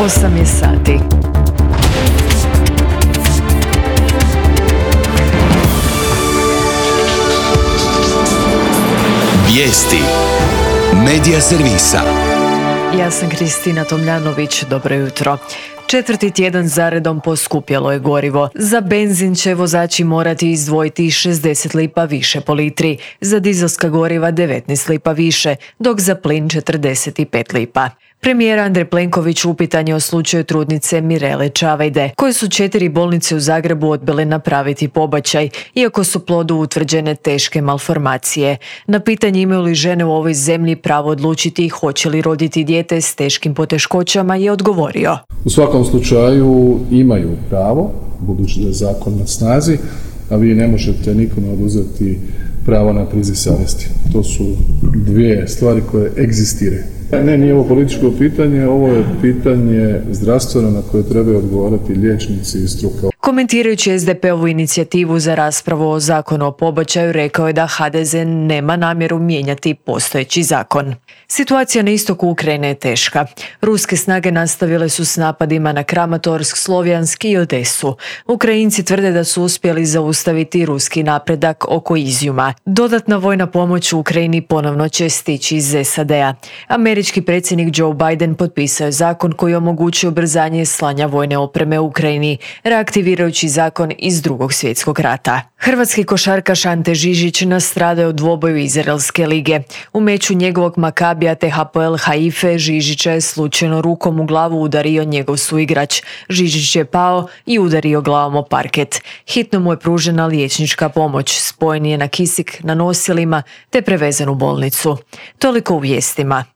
8 je sati. Vijesti Medija servisa. Ja sam Kristina Tomljanović, dobro jutro. 4. tjedan zaredom poskupjelo je gorivo. Za benzin će vozači morati izdvojiti 60 lipa više po litri, za dizelska goriva 19 lipa više, dok za plin 45 lipa. Premijer Andrej Plenković upitan je o slučaju trudnice Mirele Čavajde, koje su 4 bolnice u Zagrebu odbile napraviti pobačaj, iako su plodu utvrđene teške malformacije. Na pitanje imaju li žene u ovoj zemlji pravo odlučiti hoće li roditi dijete s teškim poteškoćama je odgovorio. U svakom slučaju imaju pravo, budući da je zakon na snazi, a vi ne možete nikome oduzeti pravo na priziv savjesti. To su dvije stvari koje egzistiraju. Ne, nije ovo političko pitanje, ovo je pitanje zdravstveno na koje trebaju odgovarati liječnici i struka. Komentirajući SDP-ovu inicijativu za raspravu o zakonu o pobačaju, rekao je da HDZ nema namjeru mijenjati postojeći zakon. Situacija na istoku Ukrajine je teška. Ruske snage nastavile su s napadima na Kramatorsk, Slovjansk i Odesu. Ukrajinci tvrde da su uspjeli zaustaviti ruski napredak oko Izjuma. Dodatna vojna pomoć u Ukrajini ponovno će stići iz SAD-a. Američki predsjednik Joe Biden potpisao je zakon koji omogućuje ubrzanje slanja vojne opreme u Ukrajini, reaktivirajući zakon iz Drugog svjetskog rata. Hrvatski košarkaš Ante Žižić nastradao u dvoboju Izraelske lige. U meču njegovog Makabija te Hapoel Haife Žižića je slučajno rukom u glavu udario njegov suigrač. Žižić je pao i udario glavom o parket. Hitno mu je pružena liječnička pomoć, spojen je na kisik na nosilima te prevezen u bolnicu. Toliko u vijestima.